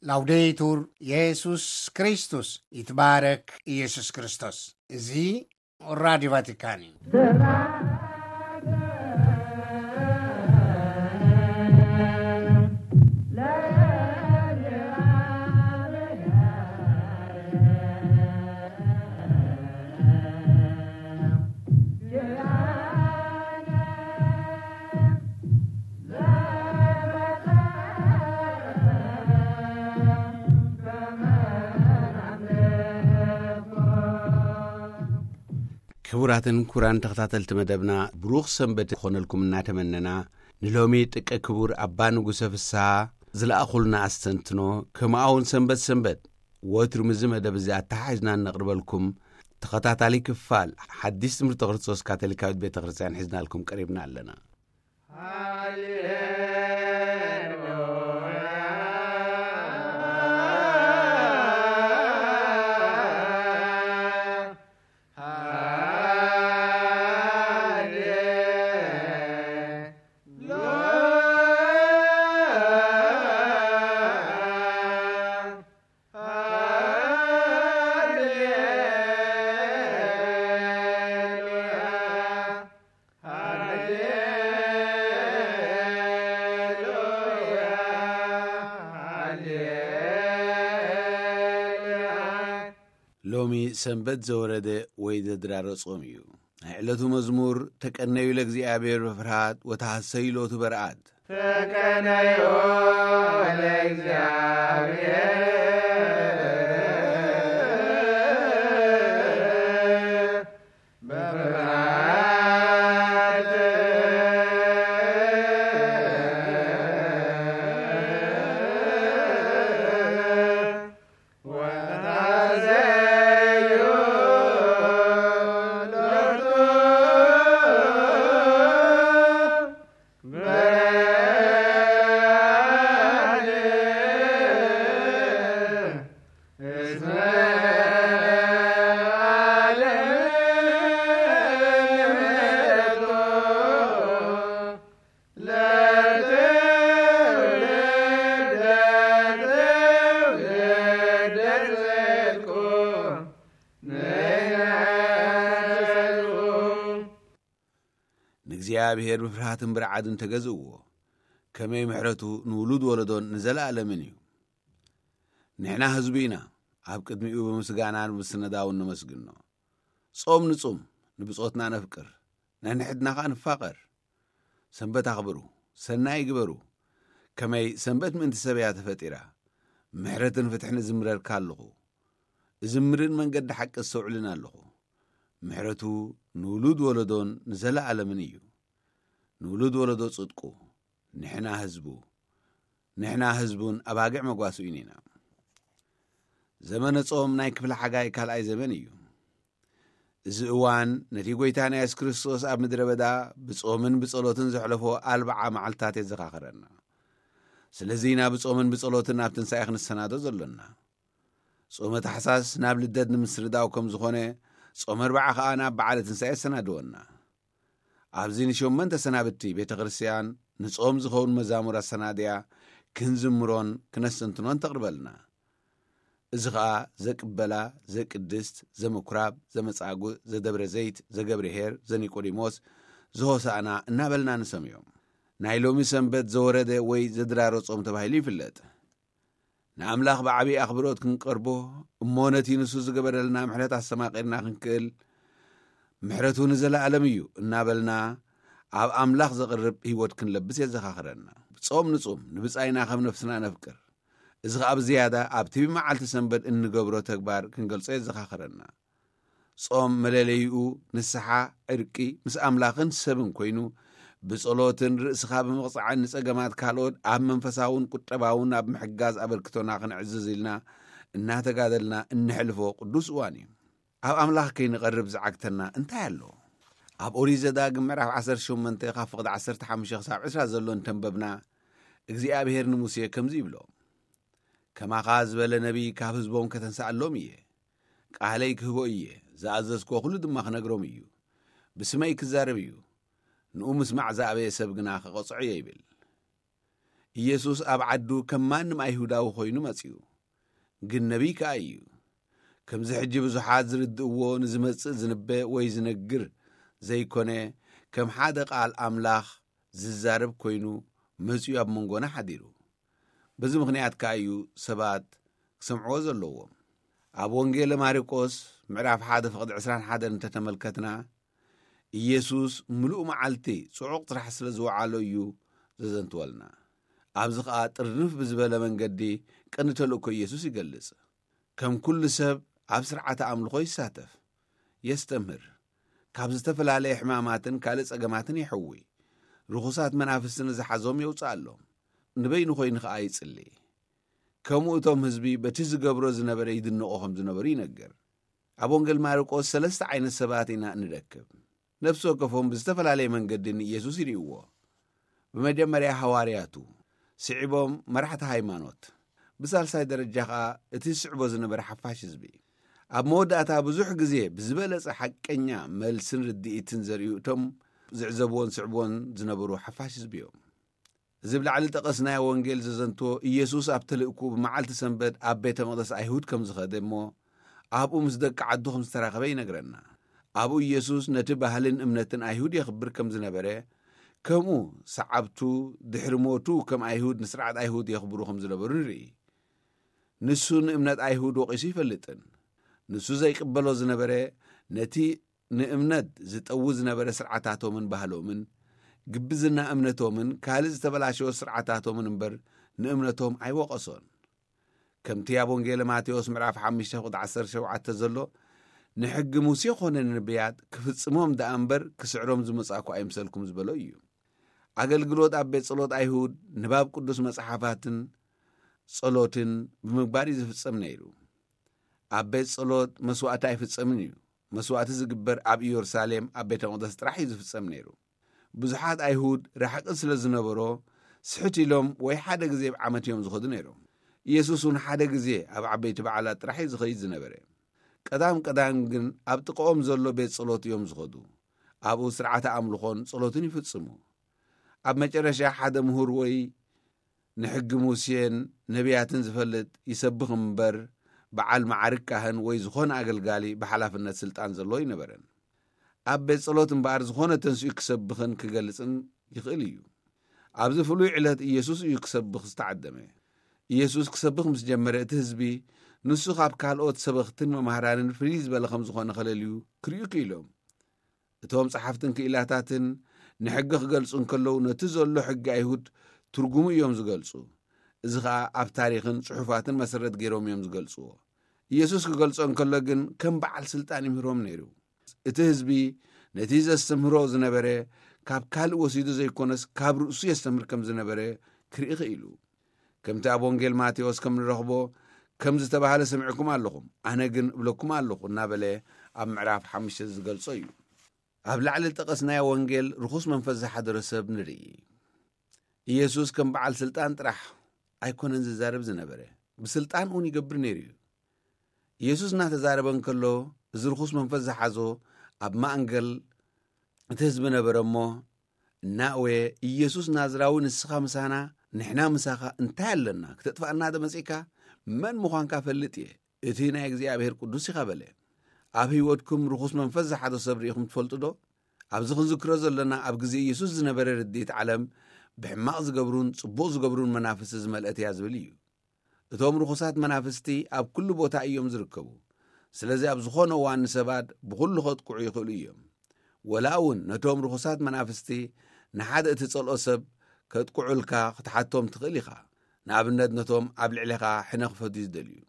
ላውዴቱር የሱስ ክርስቶስ፣ ይትባረክ ኢየሱስ ክርስቶስ። እዚ ራዲዮ ቫቲካን እዩ። ክቡራትን ክቡራን ተኸታተልቲ መደብና፣ ብሩኽ ሰንበት ክኾነልኩም እናተመነና፣ ንሎሚ ጥቀ ክቡር ኣባ ንጉሰ ፍስሃ ዝለኣኹልና ኣስተንትኖ፣ ከምኡ እውን ሰንበት ሰንበት ወትሩ ምስዚ መደብ እዚ ኣተሓሒዝና እነቕርበልኩም ተኸታታሊ ክፋል ሓዲስ ትምህርቲ ክርስቶስ ካቶሊካዊት ቤተ ክርስቲያን ሒዝናልኩም ቀሪብና ኣለና። ሎሚ ሰንበት ዘወረደ ወይ ዘድራረ ጾም እዩ። ናይ ዕለቱ መዝሙር፣ ተቀነዩ ለእግዚኣብሔር በፍርሃት ወተሐሰዩ ሎቱ በርኣት። ተቀነዩ ለእግዚኣብሔር በፍርሃት ወተሐሰዩ ሎቱ በርሃት እስመ ዓለም ምሕረቱ ለትውልድ ለትውልድ ጽድቁ ንሕና ንሰብኩ። ንእግዚኣብሔር ብፍርሃትን ብርዓድን ተገዝእዎ። ከመይ ምሕረቱ ንውሉድ ወለዶን ንዘለኣለምን እዩ። ንሕና ህዝቡ ኢና፣ ኣብ ቅድሚኡ ብምስጋናን ብምስነዳውን ነመስግኖ። ጾም ንጹም፣ ንብጾትና ነፍቅር፣ ነንሕድና ኸኣ ንፋቐር። ሰንበት ኣኽብሩ፣ ሰናይ ግበሩ። ከመይ ሰንበት ምእንቲ ሰብ እያ ተፈጢራ። ምሕረትን ፍትሕን እዝምረልካ ኣለኹ። እዝምርን መንገዲ ሓቂ እስተውዕልን ኣለኹ። ምሕረቱ ንውሉድ ወለዶን ንዘለኣለምን እዩ። ንውሉድ ወለዶ ጽድቁ፣ ንሕና ህዝቡ፣ ንሕና ህዝቡን ኣባግዕ መጓስኡን ኢና። ዘመነ ጾም ናይ ክፍለ ሓጋይ ካልኣይ ዘመን እዩ። እዚ እዋን ነቲ ጐይታና የሱስ ክርስቶስ ኣብ ምድረ በዳ ብጾምን ብጸሎትን ዘሕለፎ ኣርብዓ መዓልትታት የዘኻኽረና። ስለዚ ኢና ብጾምን ብጸሎትን ናብ ትንሳኤ ክንሰናዶ ዘሎና። ጾመ ታሕሳስ ናብ ልደት ንምስርዳው ከም ዝኾነ፣ ጾመ ኣርብዓ ኸኣ ናብ በዓለ ትንሳኤ የሰናድወና። ኣብዚ ንሸመንተ ሰናብቲ ቤተ ክርስቲያን ንጾም ዝኸውን መዛሙር ኣሰናድያ ክንዝምሮን ክነስተንትኖን ተቕርበልና። እዚ ኸኣ ዘቅበላ፣ ዘቅድስት፣ ዘምኩራብ፣ ዘመጻጉእ፣ ዘደብረ ዘይት፣ ዘገብርኄር፣ ዘኒቆዲሞስ፣ ዘሆሳእና እናበልና ንሰምዮም። ናይ ሎሚ ሰንበት ዘወረደ ወይ ዘድራረ ጾም ተባሂሉ ይፍለጥ። ንኣምላኽ ብዓብዪ ኣኽብሮት ክንቀርቦ እሞ ነቲ ንሱ ዝገበረልና ምሕረት ኣስተማቒርና ክንክእል፣ ምሕረቱ ንዘለኣለም እዩ እናበልና ኣብ ኣምላኽ ዘቕርብ ህይወት ክንለብስ የዘኻኽረና። ጾም ንጹም፣ ንብጻይና ከም ነፍስና ነፍቅር። እዚ ኸኣ ብዝያዳ ኣብቲ ብመዓልቲ ሰንበት እንገብሮ ተግባር ክንገልጾ የዘኻኽረና። ጾም መለለይኡ ንስሓ፣ ዕርቂ ምስ ኣምላኽን ሰብን ኮይኑ፣ ብጸሎትን ርእስኻ ብምቕጻዕን ንጸገማት ካልኦት ኣብ መንፈሳውን ቁጠባውን ኣብ ምሕጋዝ ኣበርክቶና ክንዕዝዝ ኢልና እናተጋደልና እንሕልፎ ቅዱስ እዋን እዩ። ኣብ ኣምላኽ ከይንቐርብ ዝዓግተና እንታይ ኣሎ? ኣብ ኦሪት ዘዳግም ምዕራፍ ዓሰርተ ሸሞንተ ካብ ፍቕዲ ዓሰርተ ሓሙሽተ ክሳብ ዕስራ ዘሎ እንተንበብና፣ እግዚኣብሔር ንሙሴ ከምዚ ይብሎ፣ ከማኻ ዝበለ ነቢይ ካብ ህዝቦም ከተንስኣሎም እየ። ቃለይ ክህቦ እየ፣ ዝኣዘዝክዎ ኩሉ ድማ ክነግሮም እዩ። ብስመይ ክዛረብ እዩ፣ ንኡ ምስማዕ ዝኣበየ ሰብ ግና ክቐጽዖ እየ ይብል። ኢየሱስ ኣብ ዓዱ ከም ማንም ኣይሁዳዊ ኮይኑ መጺኡ፣ ግን ነቢይ ከኣ እዩ። ከምዚ ሕጂ ብዙሓት ዝርድእዎ ንዝመጽእ ዝንበ ወይ ዝነግር ዘይኮነ፣ ከም ሓደ ቃል ኣምላኽ ዝዛረብ ኮይኑ መጺኡ ኣብ መንጎና ሓዲሩ። በዚ ምኽንያት ከኣ እዩ ሰባት ክሰምዕዎ ዘለዎም። ኣብ ወንጌለ ማርቆስ ምዕራፍ ሓደ ፍቕዲ ዕስራን ሓደን እንተተመልከትና፣ ኢየሱስ ምሉእ መዓልቲ ጽዑቕ ስራሕ ስለ ዝወዓሎ እዩ ዘዘንትወልና። ኣብዚ ኸኣ ጥርንፍ ብዝበለ መንገዲ ቀንዲ ተልእኮ ኢየሱስ ይገልጽ። ከም ኩሉ ሰብ ኣብ ስርዓተ ኣምልኾ ይሳተፍ፣ የስተምህር፣ ካብ ዝተፈላለየ ሕማማትን ካልእ ጸገማትን ይሕዊ፣ ርኹሳት መናፍስቲ ንዝሓዞም የውጽኣሎም፣ ንበይኑ ኮይኑ ኸኣ ይጽሊ። ከምኡ እቶም ህዝቢ በቲ ዝገብሮ ዝነበረ ይድንቑ ከም ዝነበሩ ይነግር። ኣብ ወንጌል ማርቆስ ሰለስተ ዓይነት ሰባት ኢና እንረክብ። ነፍሲ ወከፎም ብዝተፈላለየ መንገዲ ንኢየሱስ ይርእይዎ። ብመጀመርያ ሃዋርያቱ፣ ስዒቦም መራሕቲ ሃይማኖት፣ ብሳልሳይ ደረጃ ኸኣ እቲ ዝስዕቦ ዝነበረ ሓፋሽ ህዝቢ። ኣብ መወዳእታ ብዙሕ ግዜ ብዝበለጸ ሓቀኛ መልስን ርድኢትን ዘርእዩ እቶም ዝዕዘብዎን ዝስዕብዎን ዝነበሩ ሓፋሽ ህዝቢ እዮም። እዚ ብላዕሊ ጠቐስናዮ ወንጌል ዘዘንትዎ፣ ኢየሱስ ኣብ ተልእኩ ብመዓልቲ ሰንበት ኣብ ቤተ መቕደስ ኣይሁድ ከም ዝኸደ እሞ ኣብኡ ምስ ደቂ ዓዱ ከም ዝተራኸበ ይነግረና። ኣብኡ ኢየሱስ ነቲ ባህልን እምነትን ኣይሁድ የኽብር ከም ዝነበረ፣ ከምኡ ሰዓብቱ ድሕሪ ሞቱ ከም ኣይሁድ ንስርዓት ኣይሁድ የኽብሩ ከም ዝነበሩ ንርኢ። ንሱ ንእምነት ኣይሁድ ወቒሱ ይፈልጥን። ንሱ ዘይቅበሎ ዝነበረ ነቲ ንእምነት ዝጠዊ ዝነበረ ስርዓታቶምን ባህሎምን፣ ግብዝና እምነቶምን ካልእ ዝተበላሸወ ስርዓታቶምን እምበር ንእምነቶም ኣይወቐሶን። ከምቲ ኣብ ወንጌለ ማቴዎስ ምዕራፍ ሓሙሽተ ቁጥሪ ዓሰርተ ሸውዓተ ዘሎ፣ ንሕጊ ሙሴ ኾነ ንነብያት ክፍጽሞም ደኣ እምበር ክስዕሮም ዝመጻእኩ ኣይምሰልኩም ዝበሎ እዩ። ኣገልግሎት ኣብ ቤት ጸሎት ኣይሁድ፣ ንባብ ቅዱስ መጽሓፋትን ጸሎትን ብምግባር እዩ ዝፍጸም ነይሩ። ኣብ ቤት ጸሎት መስዋእቲ ኣይፍጸምን እዩ። መስዋእቲ ዝግበር ኣብ ኢየሩሳሌም ኣብ ቤተ መቕደስ ጥራሕ እዩ ዝፍጸም ነይሩ። ብዙሓት ኣይሁድ ርሕቂ ስለ ዝነበሮ፣ ስሕት ኢሎም ወይ ሓደ ግዜ ኣብ ዓመት እዮም ዝኸዱ ነይሮም። ኢየሱስ እውን ሓደ ግዜ ኣብ ዓበይቲ በዓላት ጥራሕ እዩ ዝኸይድ ዝነበረ። ቀዳም ቀዳም ግን ኣብ ጥቕኦም ዘሎ ቤት ጸሎት እዮም ዝኸዱ። ኣብኡ ስርዓተ ኣምልኾን ጸሎትን ይፍጽሙ። ኣብ መጨረሻ ሓደ ምሁር ወይ ንሕጊ ሙሴን ነቢያትን ዝፈልጥ ይሰብኽ እምበር፣ በዓል መዓርግ ካህን ወይ ዝኾነ ኣገልጋሊ ብሓላፍነት ስልጣን ዘለዎ ኣይነበረን። ኣብ ቤት ጸሎት እምበኣር ዝኾነ ተንሲኡ ክሰብኽን ክገልጽን ይኽእል እዩ። ኣብዚ ፍሉይ ዕለት ኢየሱስ እዩ ክሰብኽ ዝተዓደመ። ኢየሱስ ክሰብኽ ምስ ጀመረ፣ እቲ ህዝቢ ንሱ ካብ ካልኦት ሰበኽትን መማህራንን ፍልይ ዝበለ ከም ዝኾነ ከለልዩ ክርእዩ ክኢሎም። እቶም ጸሓፍትን ክኢላታትን ንሕጊ ክገልጹ እንከለዉ፣ ነቲ ዘሎ ሕጊ ኣይሁድ ትርጉሙ እዮም ዝገልጹ። እዚ ኸኣ ኣብ ታሪኽን ጽሑፋትን መሰረት ገይሮም እዮም ዝገልጽዎ። ኢየሱስ ክገልጾ እንከሎ ግን ከም በዓል ስልጣን ይምህሮም ነይሩ። እቲ ህዝቢ ነቲ ዘስተምህሮ ዝነበረ ካብ ካልእ ወሲዱ ዘይኮነስ ካብ ርእሱ የስተምህር ከም ዝነበረ ክርኢ ክኢሉ። ከምቲ ኣብ ወንጌል ማቴዎስ ከም ንረኽቦ፣ ከም ዝተባህለ ሰሚዕኩም ኣለኹም፣ ኣነ ግን እብለኩም ኣለኹ እናበለ ኣብ ምዕራፍ ሓሙሽተ ዝገልጾ እዩ። ኣብ ላዕሊ ዝጠቐስናዮ ወንጌል ርኹስ መንፈስ ዝሓደሮ ሰብ ንርኢ። ኢየሱስ ከም በዓል ስልጣን ጥራሕ ኣይኮነን ዝዛረብ ዝነበረ፣ ብስልጣን እውን ይገብር ነይሩ እዩ። ኢየሱስ እናተዛረበ እንከሎ፣ እዚ ርኹስ መንፈስ ዝሓዞ ኣብ ማእንገል እቲ ህዝቢ ነበረ እሞ፣ እናእወየ፣ "ኢየሱስ ናዝራዊ ንስኻ ምሳና፣ ንሕና ምሳኻ እንታይ ኣለና? ክተጥፍኣና ዶ መጺእካ? መን ምዃንካ እፈልጥ እየ። እቲ ናይ እግዚኣብሔር ቅዱስ ኢኻ" በለ። ኣብ ህይወትኩም ርኹስ መንፈስ ዝሓዞ ሰብ ርኢኹም ትፈልጡ ዶ? ኣብዚ ክንዝክሮ ዘለና ኣብ ግዜ ኢየሱስ ዝነበረ ርድኢት ዓለም ብሕማቕ ዝገብሩን ጽቡቕ ዝገብሩን መናፍስቲ ዝመልአት እያ ዝብል እዩ። እቶም ርኹሳት መናፍስቲ ኣብ ኩሉ ቦታ እዮም ዝርከቡ። ስለዚ ኣብ ዝኾነ እዋን ንሰባት ብኹሉ ከጥቅዑ ይኽእሉ እዮም። ወላ እውን ነቶም ርኹሳት መናፍስቲ ንሓደ እትጸልኦ ሰብ ከጥቅዑልካ ክትሓቶም ትኽእል ኢኻ። ንኣብነት ነቶም ኣብ ልዕሌኻ ሕነ ክፈትዩ ዝደልዩ።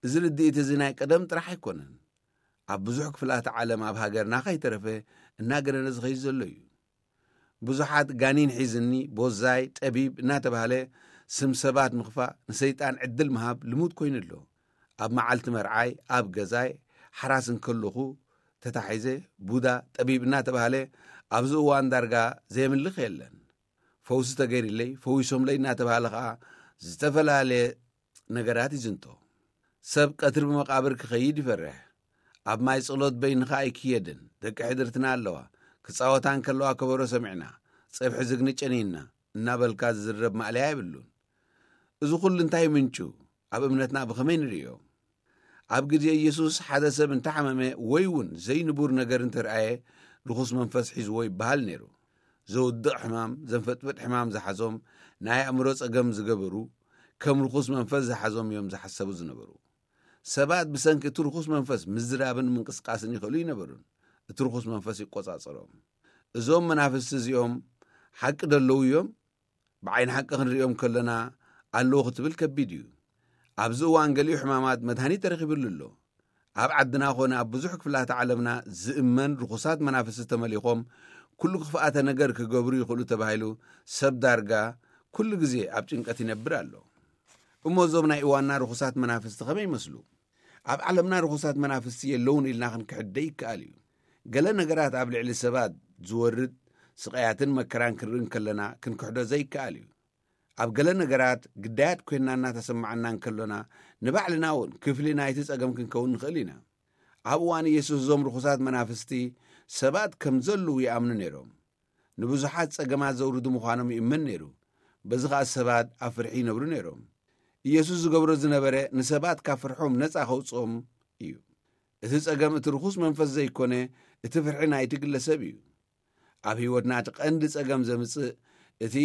እዚ ርድኢት እዚ ናይ ቀደም ጥራሕ ኣይኮነን። ኣብ ብዙሕ ክፍላተ ዓለም ኣብ ሃገርና ከይተረፈ እናገነነ ዝኸይድ ዘሎ እዩ። ብዙሓት ጋኒን ሒዝኒ፣ ቦዛይ፣ ጠቢብ እናተባህለ ስም ሰባት ምኽፋእ፣ ንሰይጣን ዕድል ምሃብ ልሙድ ኮይኑ ኣሎ። ኣብ መዓልቲ መርዓይ፣ ኣብ ገዛይ፣ ሓራስ እንከለኹ ተታሒዘ፣ ቡዳ፣ ጠቢብ እናተባህለ ኣብዚ እዋን ዳርጋ ዘየምልኽ የለን። ፈውሲ ተገይርለይ፣ ፈዊሶምለይ እናተባህለ ኸኣ ዝተፈላለየ ነገራት ይዝንቶ። ሰብ ቀትሪ ብመቓብር ክኸይድ ይፈርሕ። ኣብ ማይ ጸሎት በይንኻ ኣይክየድን። ደቂ ሕድርትና ኣለዋ። ክጻወታ እንከለዋ ከበሮ ሰሚዕና፣ ጸብሒ ዝግኒ ጨኒንና፣ እናበልካ ዝዝረብ ማእለያ የብሉን። እዚ ኩሉ እንታይ ምንጩ? ኣብ እምነትና ብኸመይ ንርእዮ? ኣብ ግዜ ኢየሱስ ሓደ ሰብ እንተሓመመ ወይ እውን ዘይንቡር ነገር እንተርኣየ፣ ርኹስ መንፈስ ሒዝዎ ይበሃል ነይሩ። ዘውድቕ ሕማም፣ ዘንፈጥፍጥ ሕማም ዝሓዞም፣ ናይ ኣእምሮ ጸገም ዝገበሩ፣ ከም ርኹስ መንፈስ ዝሓዞም እዮም ዝሓሰቡ ዝነበሩ። ሰባት ብሰንኪ እቲ ርኹስ መንፈስ ምዝራብን ምንቅስቃስን ይኽእሉ ይነበሩን፣ እቲ ርኹስ መንፈስ ይቆጻጸሮም። እዞም መናፍስቲ እዚኦም ሓቂ ደለዉ እዮም? ብዓይኒ ሓቂ ክንርእዮም ከለና ኣለዉ ክትብል ከቢድ እዩ። ኣብዚ እዋን ገሊኡ ሕማማት መድሃኒት ተረኺብሉ ኣሎ። ኣብ ዓድና ኾነ ኣብ ብዙሕ ክፍላተ ዓለምና ዝእመን ርኹሳት መናፍስቲ ተመሊኾም ኩሉ ክፍኣተ ነገር ክገብሩ ይኽእሉ ተባሂሉ ሰብ ዳርጋ ኩሉ ግዜ ኣብ ጭንቀት ይነብር ኣሎ። እሞ እዞም ናይ እዋንና ርኹሳት መናፍስቲ ከመይ ይመስሉ? ኣብ ዓለምና ርኹሳት መናፍስቲ የለውን ኢልና ክንክሕድ ደይከኣል እዩ። ገለ ነገራት ኣብ ልዕሊ ሰባት ዝወርድ ስቓያትን መከራን ክንርኢ እንከለና ክንክሕዶ ዘይከኣል እዩ። ኣብ ገለ ነገራት ግዳያት ኮይንና እናተሰማዓና እንከሎና፣ ንባዕልና እውን ክፍሊ ናይቲ ጸገም ክንከውን ንኽእል ኢና። ኣብ እዋን ኢየሱስ እዞም ርኹሳት መናፍስቲ ሰባት ከም ዘለዉ ይኣምኑ ነይሮም። ንብዙሓት ጸገማት ዘውርዱ ምዃኖም ይእመን ነይሩ። በዚ ኸኣ ሰባት ኣብ ፍርሒ ይነብሩ ነይሮም። ኢየሱስ ዝገብሮ ዝነበረ ንሰባት ካብ ፍርሖም ነጻ ከውጽኦም እዩ። እቲ ጸገም እቲ ርኹስ መንፈስ ዘይኮነ፣ እቲ ፍርሒ ናይቲ ግለሰብ እዩ። ኣብ ህይወትና እቲ ቀንዲ ጸገም ዘምጽእ እቲ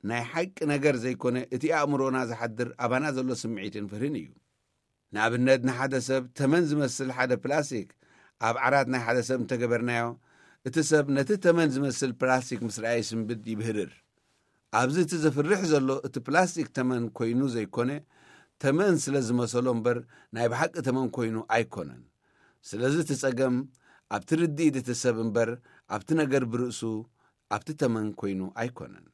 ናይ ሓቂ ነገር ዘይኮነ፣ እቲ ኣእምሮና ዝሓድር ኣባና ዘሎ ስምዒትን ፍርህን እዩ። ንኣብነት፣ ንሓደ ሰብ ተመን ዝመስል ሓደ ፕላስቲክ ኣብ ዓራት ናይ ሓደ ሰብ እንተገበርናዮ፣ እቲ ሰብ ነቲ ተመን ዝመስል ፕላስቲክ ምስ ረኣየ ስንብድ ይብህርር። ኣብዚ እቲ ዘፍርሕ ዘሎ እቲ ፕላስቲክ ተመን ኮይኑ ዘይኮነ፣ ተመን ስለ ዝመሰሎ እምበር ናይ ብሓቂ ተመን ኮይኑ ኣይኮነን። ስለዚ እቲ ጸገም ኣብቲ ርድኢት እቲ ሰብ እምበር ኣብቲ ነገር ብርእሱ ኣብቲ ተመን ኮይኑ ኣይኮነን።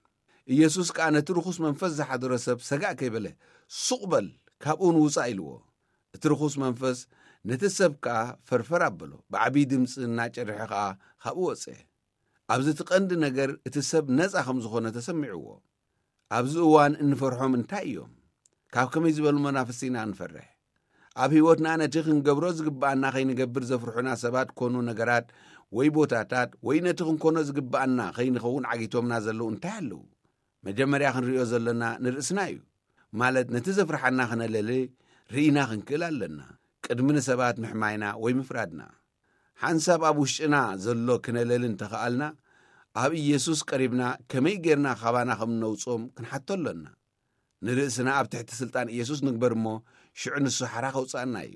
ኢየሱስ ከኣ ነቲ ርኹስ መንፈስ ዝሓደሮ ሰብ ሰጋእ ከይበለ፣ "ሱቕ በል፣ ካብኡ ንውጻእ" ኢልዎ። እቲ ርኹስ መንፈስ ነቲ ሰብ ከኣ ፈርፈር ኣበሎ፣ ብዓብዪ ድምጺ እናጨርሐ ከኣ ካብኡ ወጸ። ኣብዚ እቲ ቀንዲ ነገር እቲ ሰብ ነጻ ከም ዝኾነ ተሰሚዕዎ። ኣብዚ እዋን እንፈርሖም እንታይ እዮም? ካብ ከመይ ዝበሉ መናፍስቲ ኢና እንፈርሕ? ኣብ ህይወትና ነቲ ክንገብሮ ዝግብኣና ከይንገብር ዘፍርሑና ሰባት ኮኑ ነገራት ወይ ቦታታት ወይ ነቲ ክንኮኖ ዝግብኣና ከይንኸውን ዓጊቶምና ዘለዉ እንታይ ኣለዉ? መጀመርያ ክንርእዮ ዘለና ንርእስና እዩ። ማለት ነቲ ዘፍርሓና ክነለሊ ርኢና ክንክእል ኣለና። ቅድሚ ንሰባት ምሕማይና ወይ ምፍራድና። ሓንሳብ ኣብ ውሽጥና ዘሎ ክነለሊ እንተኸኣልና፣ ኣብ ኢየሱስ ቀሪብና ከመይ ጌርና ካባና ከም እነውጽኦም ክንሓቶ ኣሎና። ንርእስና ኣብ ትሕቲ ስልጣን ኢየሱስ ንግበር እሞ፣ ሽዑ ንሱ ሓራ ከውጽኣና እዩ።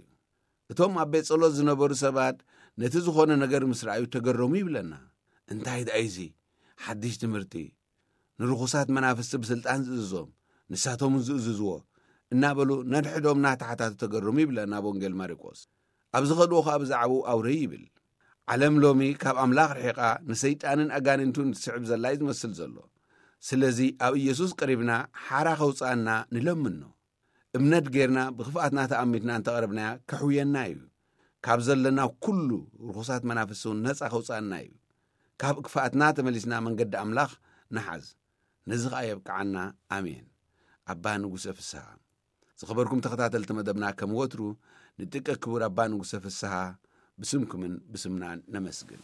እቶም ኣብ ቤት ጸሎት ዝነበሩ ሰባት ነቲ ዝኾነ ነገር ምስ ረኣዩ ተገረሙ ይብለና። "እንታይ ደኣ እዚ ሓድሽ ትምህርቲ? ንርኹሳት መናፍስቲ ብስልጣን ዝእዝዞም፣ ንሳቶም እውን ዝእዝዝዎ" እናበሉ ነድሕዶም እናተሓታቱ ተገረሙ ይብለና ኣብ ወንጌል ማርቆስ። ኣብ ዝኸድዎ ኸኣ ብዛዕባኡ ኣውረዩ ይብል። ዓለም ሎሚ ካብ ኣምላኽ ርሒቓ ንሰይጣንን ኣጋንንቱን ትስዕብ ዘላ እዩ ዝመስል ዘሎ። ስለዚ ኣብ ኢየሱስ ቀሪብና ሓራ ከውጽኣና ንለምኖ። እምነት ጌርና ብኽፍኣትና ተኣሚትና እንተቐረብናያ ከሕውየና እዩ። ካብ ዘለና ኩሉ ርኹሳት መናፍስቲ እውን ነጻ ከውጽኣና እዩ። ካብ ክፍኣትና ተመሊስና መንገዲ ኣምላኽ ንሓዝ። ነዚ ኸኣ የብቅዓና። ኣሜን። ኣባ ንጉሰ ፍስሃ። ዝኸበርኩም ተኸታተልቲ መደብና፣ ከም ወትሩ ንጥቀ ክቡር ኣባ ንጉሰ ፍስሃ ብስምኩምን ብስምናን ነመስግን።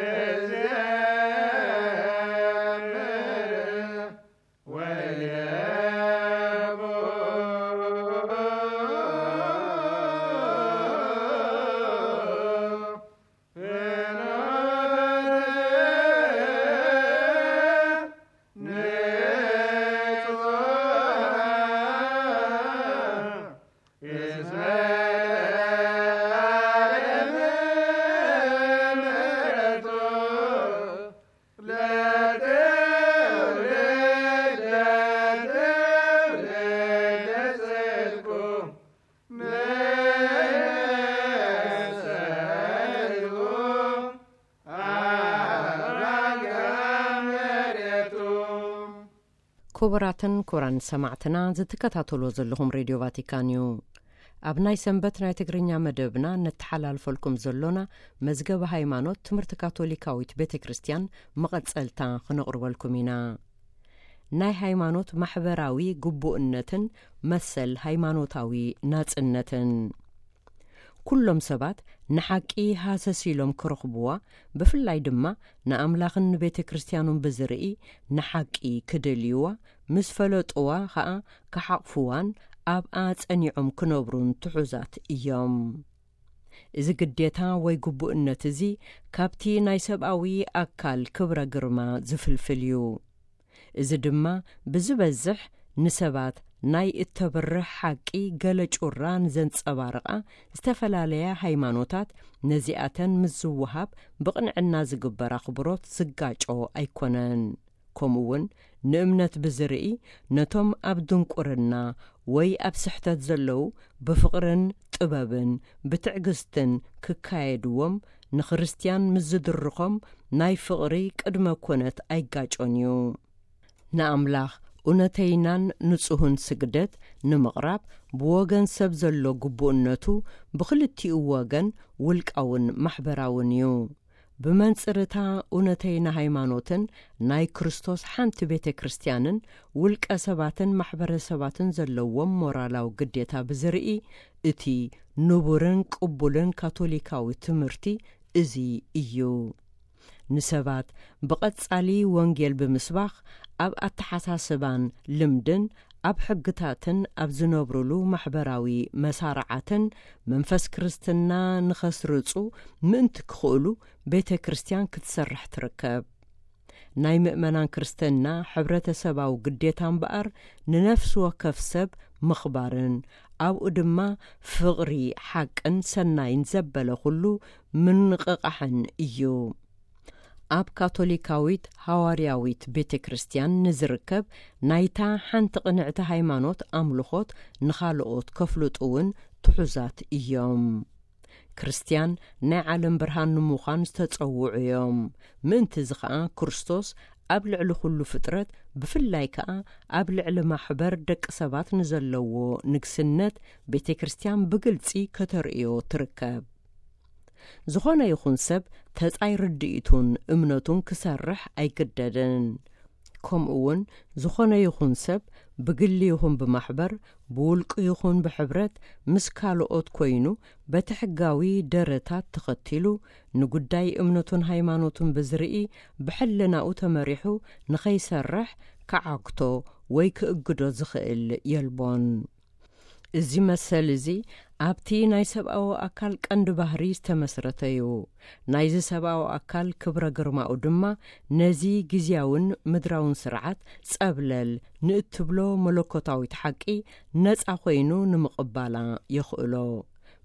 እዘምር ወይነቡ ፍኖተ ንጹሕ እስመ ለዓለም ምሕረቱ ለትውልድ ለትውልድ ጽድቁ ንሰልኩ ኣራጋ መሬቱ። ክቡራትን ክቡራን ሰማዕትና፣ ዝትከታተልዎ ዘለኹም ሬድዮ ቫቲካን እዩ። ኣብ ናይ ሰንበት ናይ ትግርኛ መደብና ነተሓላልፈልኩም ዘሎና መዝገበ ሃይማኖት ትምህርቲ ካቶሊካዊት ቤተ ክርስቲያን መቐጸልታ ክነቕርበልኩም ኢና። ናይ ሃይማኖት ማሕበራዊ ግቡእነትን መሰል ሃይማኖታዊ ናጽነትን። ኩሎም ሰባት ንሓቂ ሃሰስ ኢሎም ክረኽብዋ፣ ብፍላይ ድማ ንኣምላኽን ንቤተ ክርስቲያኑን ብዝርኢ ንሓቂ ክደልይዋ፣ ምስ ፈለጥዋ ኸኣ ክሓቕፍዋን ኣብኣ ጸኒዖም ክነብሩን ትሑዛት እዮም። እዚ ግዴታ ወይ ግቡእነት እዚ ካብቲ ናይ ሰብኣዊ ኣካል ክብረ ግርማ ዝፍልፍል እዩ። እዚ ድማ ብዝበዝሕ ንሰባት ናይ እተብርህ ሓቂ ገለ ጩራ ንዘንጸባርቓ ዝተፈላለያ ሃይማኖታት ነዚኣተን ምስ ዝወሃብ ብቕንዕና ዝግበር ኣኽብሮት ዝጋጮ ኣይኮነን። ከምኡ እውን ንእምነት ብዝርኢ ነቶም ኣብ ድንቁርና ወይ ኣብ ስሕተት ዘለዉ ብፍቕርን ጥበብን ብትዕግስትን ክካየድዎም ንክርስትያን ምስ ዝድርኾም ናይ ፍቕሪ ቅድመ ኮነት ኣይጋጮን እዩ። ንኣምላኽ እውነተይናን ንጹህን ስግደት ንምቕራብ ብወገን ሰብ ዘሎ ግቡእነቱ ብኽልቲኡ ወገን ውልቃውን ማሕበራውን እዩ። ብመንጽርታ እውነተይና ሃይማኖትን ናይ ክርስቶስ ሓንቲ ቤተ ክርስቲያንን ውልቀ ሰባትን ማሕበረሰባትን ዘለዎም ሞራላዊ ግዴታ ብዝርኢ እቲ ንቡርን ቅቡልን ካቶሊካዊ ትምህርቲ እዚ እዩ። ንሰባት ብቐጻሊ ወንጌል ብምስባኽ ኣብ ኣተሓሳስባን ልምድን ኣብ ሕግታትን ኣብ ዝነብሩሉ ማሕበራዊ መሳርዓትን መንፈስ ክርስትና ንኸስርጹ ምእንቲ ክኽእሉ ቤተ ክርስቲያን ክትሰርሕ ትርከብ። ናይ ምእመናን ክርስትና ሕብረተሰባዊ ግዴታ እምበኣር ንነፍሲ ወከፍ ሰብ ምኽባርን ኣብኡ ድማ ፍቕሪ ሓቅን ሰናይን ዘበለ ኩሉ ምንቕቓሕን እዩ። ኣብ ካቶሊካዊት ሃዋርያዊት ቤተ ክርስቲያን ንዝርከብ ናይታ ሓንቲ ቅንዕቲ ሃይማኖት ኣምልኾት ንኻልኦት ከፍልጡ እውን ትሑዛት እዮም። ክርስቲያን ናይ ዓለም ብርሃን ንምዃን ዝተጸውዑ እዮም። ምእንቲ እዚ ኸኣ ክርስቶስ ኣብ ልዕሊ ኩሉ ፍጥረት ብፍላይ ከኣ ኣብ ልዕሊ ማሕበር ደቂ ሰባት ንዘለዎ ንግስነት ቤተ ክርስቲያን ብግልጺ ከተርእዮ ትርከብ። ዝኾነ ይኹን ሰብ ተጻይ ርድኢቱን እምነቱን ክሰርሕ ኣይግደድን። ከምኡ እውን ዝኾነ ይኹን ሰብ ብግሊ ይኹን ብማሕበር ብውልቂ ይኹን ብሕብረት ምስ ካልኦት ኮይኑ በቲ ሕጋዊ ደረታት ተኸቲሉ ንጉዳይ እምነቱን ሃይማኖቱን ብዝርኢ ብሕልናኡ ተመሪሑ ንኸይሰርሕ ክዓግቶ ወይ ክእግዶ ዝኽእል የልቦን። እዚ መሰል እዚ ኣብቲ ናይ ሰብኣዊ ኣካል ቀንዲ ባህሪ ዝተመስረተ እዩ። ናይዚ ሰብኣዊ ኣካል ክብረ ግርማኡ ድማ ነዚ ግዝያውን ምድራውን ስርዓት ጸብለል ንእትብሎ መለኮታዊት ሓቂ ነጻ ኮይኑ ንምቕባላ የኽእሎ።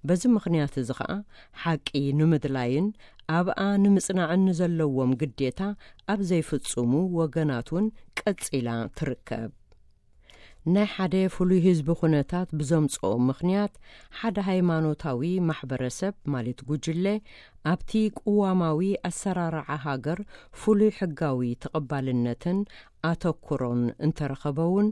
በዚ ምኽንያት እዚ ኸኣ ሓቂ ንምድላይን ኣብኣ ንምጽናዕን ንዘለዎም ግዴታ ኣብ ዘይፍጽሙ ወገናት እውን ቀጺላ ትርከብ። ናይ ሓደ ፍሉይ ህዝቢ ኩነታት ብዘምጽኦ ምኽንያት ሓደ ሃይማኖታዊ ማሕበረሰብ ማለት ጉጅለ ኣብቲ ቅዋማዊ ኣሰራርዓ ሃገር ፍሉይ ሕጋዊ ተቐባልነትን ኣተኩሮን እንተረኸበ እውን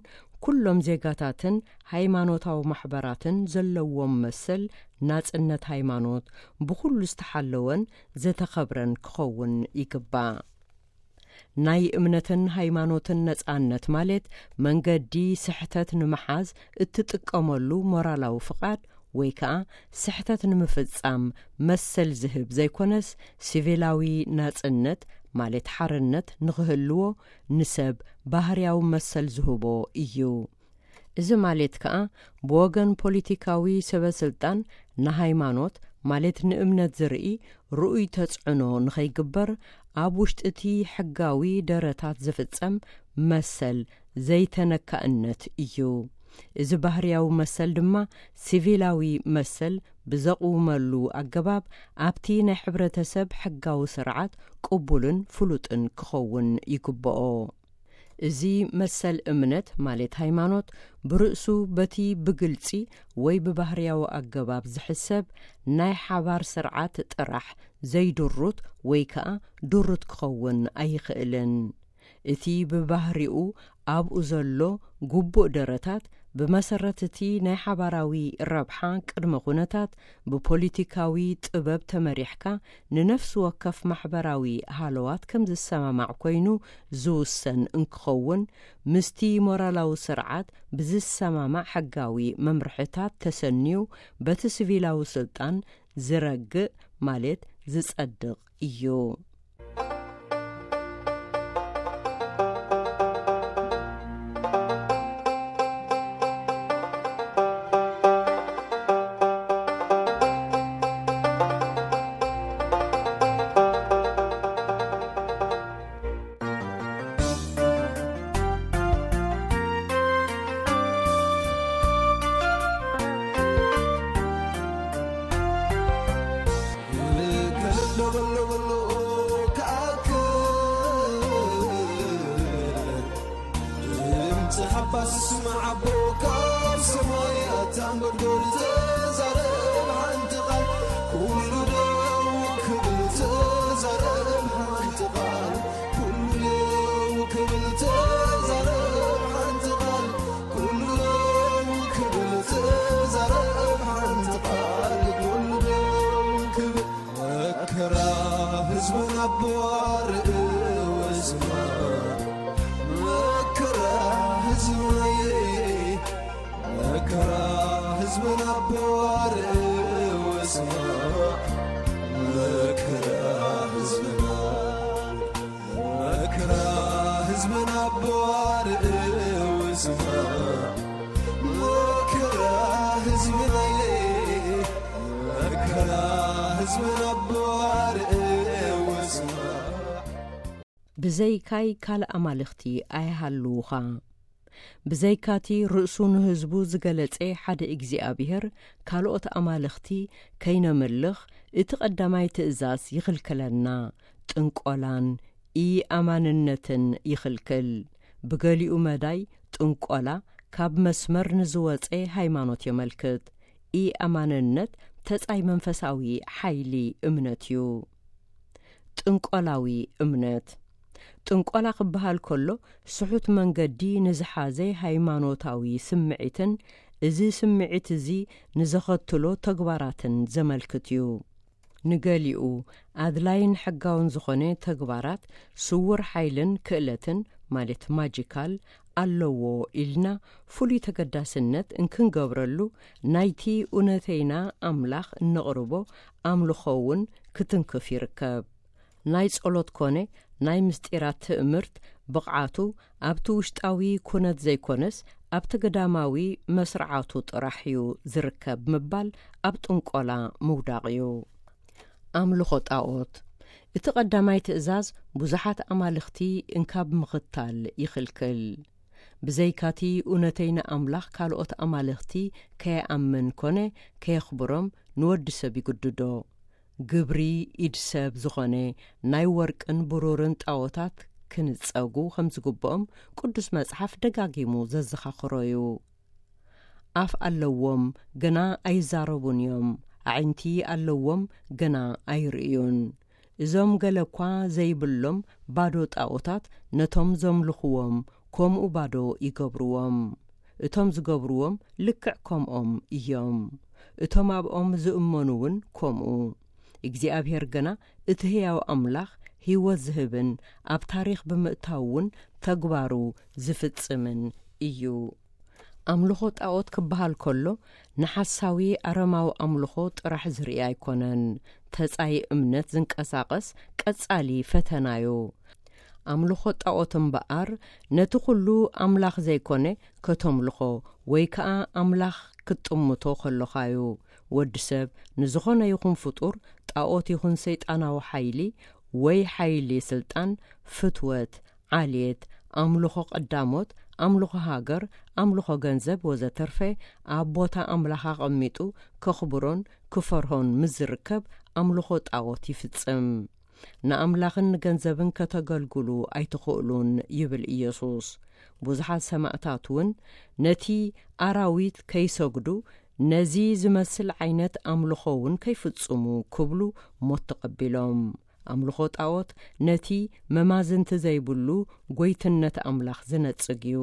ኩሎም ዜጋታትን ሃይማኖታዊ ማሕበራትን ዘለዎም መሰል ናጽነት ሃይማኖት ብኹሉ ዝተሓለወን ዝተኸብረን ክኸውን ይግባእ። ናይ እምነትን ሃይማኖትን ነጻነት ማለት መንገዲ ስሕተት ንምሓዝ እትጥቀመሉ ሞራላዊ ፍቓድ ወይ ከኣ ስሕተት ንምፍጻም መሰል ዝህብ ዘይኮነስ፣ ሲቪላዊ ናጽነት ማለት ሓርነት ንኽህልዎ ንሰብ ባህርያዊ መሰል ዝህቦ እዩ። እዚ ማለት ከኣ ብወገን ፖለቲካዊ ሰበ ስልጣን ንሃይማኖት ማለት ንእምነት ዝርኢ ርኡይ ተጽዕኖ ንኸይግበር ኣብ ውሽጢ እቲ ሕጋዊ ደረታት ዝፍጸም መሰል ዘይተነካእነት እዩ። እዚ ባህርያዊ መሰል ድማ ሲቪላዊ መሰል ብዘቕውመሉ ኣገባብ ኣብቲ ናይ ሕብረተሰብ ሕጋዊ ስርዓት ቅቡልን ፍሉጥን ክኸውን ይግብኦ። እዚ መሰል እምነት ማለት ሃይማኖት ብርእሱ በቲ ብግልጺ ወይ ብባህርያዊ ኣገባብ ዝሕሰብ ናይ ሓባር ስርዓት ጥራሕ ዘይድሩት ወይ ከኣ ድሩት ክኸውን ኣይኽእልን። እቲ ብባህሪኡ ኣብኡ ዘሎ ግቡእ ደረታት ብመሰረት እቲ ናይ ሓባራዊ ረብሓ ቅድመ ኩነታት ብፖለቲካዊ ጥበብ ተመሪሕካ ንነፍሲ ወከፍ ማሕበራዊ ሃለዋት ከም ዝሰማማዕ ኮይኑ ዝውሰን እንክኸውን፣ ምስቲ ሞራላዊ ስርዓት ብዝሰማማዕ ሕጋዊ መምርሕታት ተሰንዩ በቲ ሲቪላዊ ስልጣን ዝረግእ ማለት ዝጸድቕ እዩ። ብዘይካይ ካልእ ኣማልኽቲ ኣይሃልዉኻ። ብዘይካቲ ርእሱ ንህዝቡ ዝገለጸ ሓደ እግዚኣብሔር፣ ካልኦት ኣማልኽቲ ከይነምልኽ እቲ ቀዳማይ ትእዛዝ ይኽልክለና። ጥንቆላን ኢኣማንነትን ይኽልክል። ብገሊኡ መዳይ ጥንቆላ ካብ መስመር ንዝወጸ ሃይማኖት የመልክት። ኢኣማንነት ተጻይ መንፈሳዊ ሓይሊ እምነት እዩ። ጥንቆላዊ እምነት። ጥንቆላ ክበሃል ከሎ ስሑት መንገዲ ንዝሓዘ ሃይማኖታዊ ስምዒትን እዚ ስምዒት እዚ ንዘኸትሎ ተግባራትን ዘመልክት እዩ። ንገሊኡ ኣድላይን ሕጋውን ዝኾነ ተግባራት ስውር ሓይልን ክእለትን ማለት ማጂካል ኣለዎ ኢልና ፍሉይ ተገዳስነት እንክንገብረሉ ናይቲ እውነተይና ኣምላኽ እነቕርቦ ኣምልኾ እውን ክትንክፍ ይርከብ። ናይ ጸሎት ኮነ ናይ ምስጢራት ትእምርት ብቕዓቱ ኣብቲ ውሽጣዊ ኩነት ዘይኮነስ ኣብቲ ግዳማዊ መስርዓቱ ጥራሕ እዩ ዝርከብ ምባል ኣብ ጥንቆላ ምውዳቕ እዩ። ኣምልኾ ጣኦት። እቲ ቀዳማይ ትእዛዝ ብዙሓት ኣማልኽቲ እንካብ ምኽታል ይኽልክል። ብዘይካቲ እውነተይና ኣምላኽ ካልኦት ኣማልኽቲ ከየኣምን ኮነ ከየኽብሮም ንወዲ ሰብ ይግድዶ። ግብሪ ኢድ ሰብ ዝኾነ ናይ ወርቅን ብሩርን ጣኦታት ክንጸጉ ከም ዝግብኦም ቅዱስ መጽሓፍ ደጋጊሙ ዘዘኻኽሮ እዩ። ኣፍ ኣለዎም፣ ግና ኣይዛረቡን እዮም። ኣዒንቲ ኣለዎም፣ ግና ኣይርእዩን። እዞም ገለ እኳ ዘይብሎም ባዶ ጣኦታት ነቶም ዘምልኽዎም ከምኡ ባዶ ይገብርዎም። እቶም ዝገብርዎም ልክዕ ከምኦም እዮም። እቶም ኣብኦም ዝእመኑ እውን ከምኡ። እግዚኣብሔር ግና እቲ ህያው ኣምላኽ ህይወት ዝህብን ኣብ ታሪኽ ብምእታው እውን ተግባሩ ዝፍጽምን እዩ። ኣምልኾ ጣዖት ክበሃል ከሎ፣ ንሓሳዊ ኣረማዊ ኣምልኾ ጥራሕ ዝርኢ ኣይኮነን። ተጻይ እምነት ዝንቀሳቐስ ቀጻሊ ፈተናዩ። ኣምልኾ ጣዖት እምበኣር፣ ነቲ ኩሉ ኣምላኽ ዘይኮነ ከተምልኾ ወይ ከኣ ኣምላኽ ክትጥምቶ ከሎኻዩ። ወዲ ሰብ ንዝኾነ ይኹን ፍጡር፣ ጣዖት ይኹን ሰይጣናዊ ሓይሊ ወይ ሓይሊ ስልጣን፣ ፍትወት፣ ዓሌት፣ ኣምልኾ ቀዳሞት፣ ኣምልኾ ሃገር፣ ኣምልኾ ገንዘብ ወዘተርፈ፣ ኣብ ቦታ ኣምላኽ ኣቐሚጡ ከኽብሮን ክፈርሆን ምስ ዝርከብ፣ ኣምልኾ ጣዖት ይፍጽም። ንኣምላኽን ንገንዘብን ከተገልግሉ ኣይትኽእሉን ይብል ኢየሱስ። ብዙሓት ሰማእታት እውን ነቲ ኣራዊት ከይሰግዱ፣ ነዚ ዝመስል ዓይነት ኣምልኾ እውን ከይፍጽሙ ክብሉ ሞት ተቐቢሎም። ኣምልኾ ጣዖት ነቲ መማዝንቲ ዘይብሉ ጎይትነት ኣምላኽ ዝነጽግ እዩ።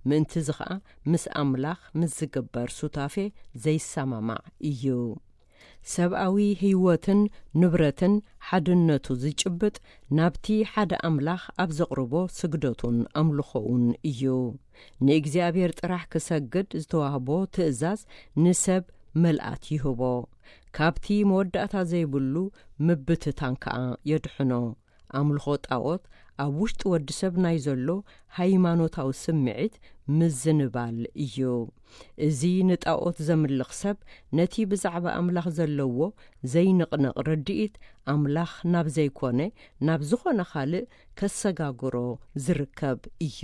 ምእንትዚ ኸኣ ምስ ኣምላኽ ምስ ዝግበር ሱታፌ ዘይሰማማዕ እዩ። ሰብኣዊ ህይወትን ንብረትን ሓድነቱ ዝጭብጥ ናብቲ ሓደ ኣምላኽ ኣብ ዘቕርቦ ስግደቱን ኣምልኾኡን እዩ። ንእግዚኣብሔር ጥራሕ ክሰግድ ዝተዋህቦ ትእዛዝ ንሰብ መልኣት ይህቦ። ካብቲ መወዳእታ ዘይብሉ ምብትታን ከኣ የድሕኖ። ኣምልኾ ጣዖት ኣብ ውሽጢ ወዲ ሰብ ናይ ዘሎ ሃይማኖታዊ ስምዒት ምዝንባል እዩ። እዚ ንጣዖት ዘምልኽ ሰብ ነቲ ብዛዕባ ኣምላኽ ዘለዎ ዘይንቕነቕ ርድኢት ኣምላኽ ናብ ዘይኮነ ናብ ዝኾነ ካልእ ከሰጋግሮ ዝርከብ እዩ።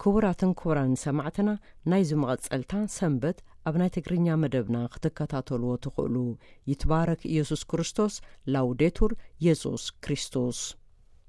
ክቡራትን ክቡራን ሰማዕትና፣ ናይዚ መቐጸልታ ሰንበት ኣብ ናይ ትግርኛ መደብና ክትከታተልዎ ትኽእሉ። ይትባረክ ኢየሱስ ክርስቶስ። ላውዴቱር ኢየሱስ ክርስቶስ።